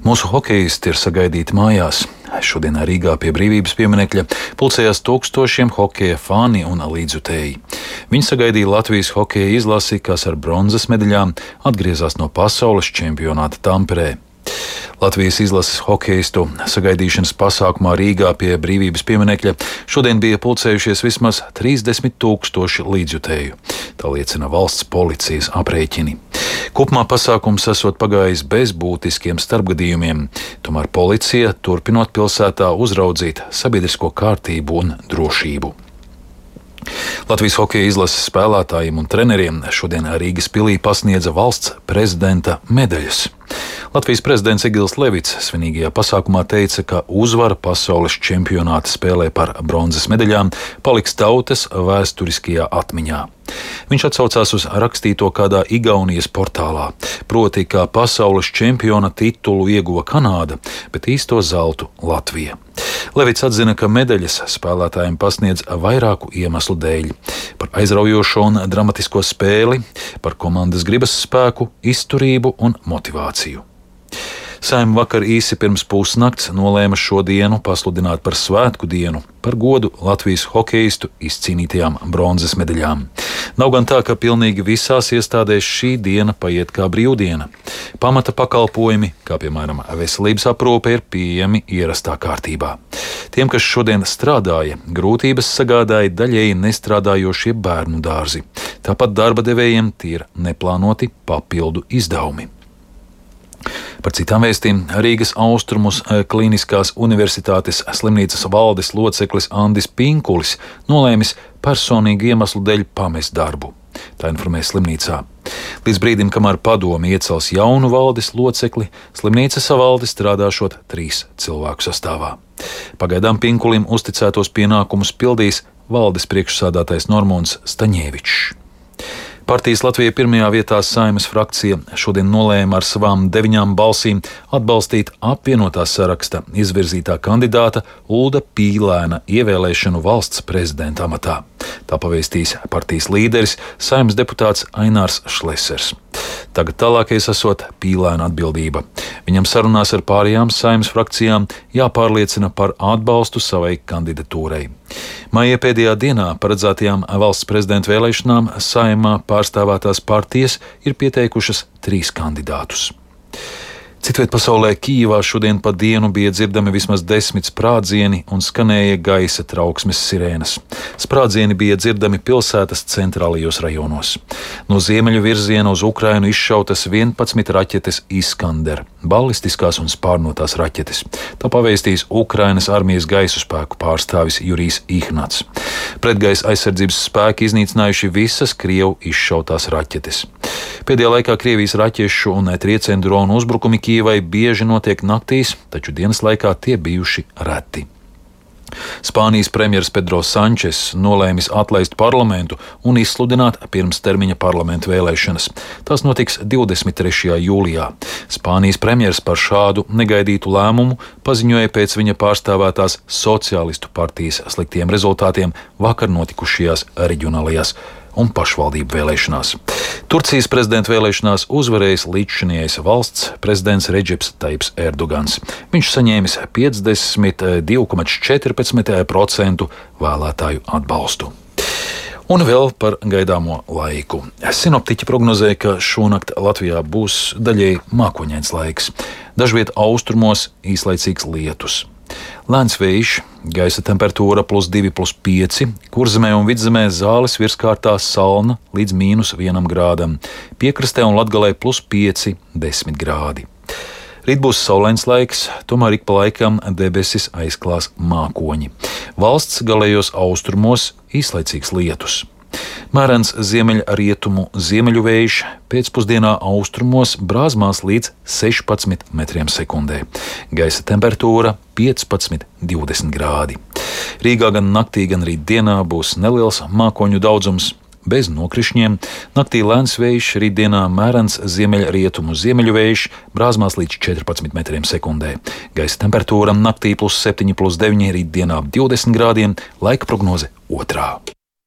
Mūsu hokeisti ir sagaidīti mājās. Šodien Rīgā pie Brīvības pieminekļa pulcējās tūkstošiem hokeja fani un līdzjutēji. Viņi sagaidīja Latvijas hokeja izlasi, kas ar bronzas medaļām atgriezās no pasaules čempionāta Tamperē. Latvijas izlases hokeistu sagaidīšanas pasākumā Rīgā pie Brīvības pieminekļa šodien bija pulcējušies vismaz 30,000 līdzjutēju. Tā liecina valsts policijas aprēķini. Kopumā pasākums esot pagājis bez būtiskiem starpgadījumiem, tomēr policija turpinot pilsētā uzraudzīt sabiedrisko kārtību un drošību. Latvijas hokeja izlases spēlētājiem un treneriem šodien Rīgas pilī pasniedza valsts prezidenta medaļas. Latvijas prezidents Egils Levits svinīgajā pasākumā teica, ka uzvara pasaules čempionāta spēlē par bronzas medaļām paliks tautas vēsturiskajā atmiņā. Viņš atsaucās uz rakstīto kādā Igaunijas portālā, proti, ka pasaules čempiona titulu ieguva Kanāda, bet īsto zeltu Latvija. Levits atzina, ka medaļas spēlētājiem pasniedz vairāku iemeslu dēļ - par aizraujošo un dramatisko spēli, par komandas gribas spēku, izturību un motivāciju. Saeima vakar īsi pirms pusnakts nolēma šo dienu pasludināt par svētku dienu, par godu Latvijas hokeistu izcīnītajām bronzas medaļām. Nav gan tā, ka pilnīgi visās iestādēs šī diena paiet kā brīvdiena. Pamata pakalpojumi, kā piemēram veselības aprūpe, ir pieejami ierastā kārtībā. Tiem, kas šodien strādāja, grūtības sagādāja daļēji nestrādājošie bērnu dārzi. Tāpat darba devējiem tie ir neplānoti papildu izdevumi. Par citām vēstīm Rīgas Austrumus Kliniskās universitātes slimnīcas valdes loceklis Andis Pinkulis nolēmis personīgu iemeslu dēļ pamest darbu. Tā informē slimnīcā. Līdz brīdim, kamēr padome iecels jaunu valdes locekli, slimnīca savalde strādāšot 3 cilvēku sastāvā. Pagaidām Pinkulim uzticētos pienākumus pildīs valdes priekšsādātais Normons Staņēvičs. Partijas Latvija pirmajā vietā Saeimas frakcija šodien nolēma ar savām 9 balsīm atbalstīt apvienotā saraksta izvirzītā kandidāta Ulda Pīlēna ievēlēšanu valsts prezidenta amatā. Tā pavēstīs partijas līderis, Saeimas deputāts Ainārs Šlesers. Tagad tālākais esot Pīlēna atbildība. Viņam sarunās ar pārējām Saeimas frakcijām jāpārliecina par atbalstu savai kandidatūrai. Maija pēdējā dienā paredzētajām valsts prezidenta vēlēšanām Saeimā pārstāvētās partijas ir pieteikušas 3 kandidātus. Citviet pasaulē Kijivā šodien pa dienu bija dzirdami vismaz 10 sprādzieni un skanēja gaisa trauksmes sirēnas. Sprādzieni bija dzirdami pilsētas centrālajos rajonos. No ziemeļu virziena uz Ukrainu izšautas 11 raķetes Iskander, ballistiskās un spārnotās raķetes. Tā pavēstīs Ukrainas armijas gaisu spēku pārstāvis Jurijs Ihnats. Pretgaisa aizsardzības spēki iznīcinājuši visas Krievu izšautās raķetes. Pēdējā laikā Krievijas raķešu un triecienu dronu uzbrukumi Kijivai bieži notiek naktīs, taču dienas laikā tie bijuši reti. Spānijas premjers Pedro Sančes nolēmis atlaist parlamentu un izsludināt pirmstermiņa parlamentu vēlēšanas. Tās notiks 23. jūlijā. Spānijas premjers par šādu negaidītu lēmumu paziņoja pēc viņa pārstāvētās sociālistu partijas sliktiem rezultātiem vakar notikušajās reģionālajās un pašvaldību vēlēšanās. Turcijas prezidenta vēlēšanās uzvarējis līdzšinējais valsts prezidents Redžeps Tajips Erdogans. Viņš saņēmis 52,14% vēlētāju atbalstu. Un vēl par gaidāmo laiku. Sinoptiķi prognozē, ka šonakt Latvijā būs daļēji mākoņains laiks. Dažviet austrumos īslaicīgs lietus. Lēns vējš, gaisa temperatūra +2, +5, Kurzemē un Vidzemē Zāles virskārtā salna līdz -1 grādam, piekrastē un Latgalē +5, 10 grādi. Rīt būs saulains laiks, tomēr ik pa laikam debesis aizklās mākoņi. Valsts galējos austrumos īslaicīgs lietus. Mērens ziemeļrietumu ziemeļu vējš, pēcpusdienā austrumos brāzmās līdz 16 m/sekundē. Gaisa temperatūra 15–20 grādi. Rīgā gan naktī, gan rīt dienā būs neliels mākoņu daudzums, bez nokrišņiem. Naktī lēns vējš, rītdienā mērens ziemeļrietumu ziemeļu vējš, brāzmās līdz 14 m/sekundē. Gaisa temperatūra naktī +7, +9, rītdienā 20 grādiem, laika prognoze otrā.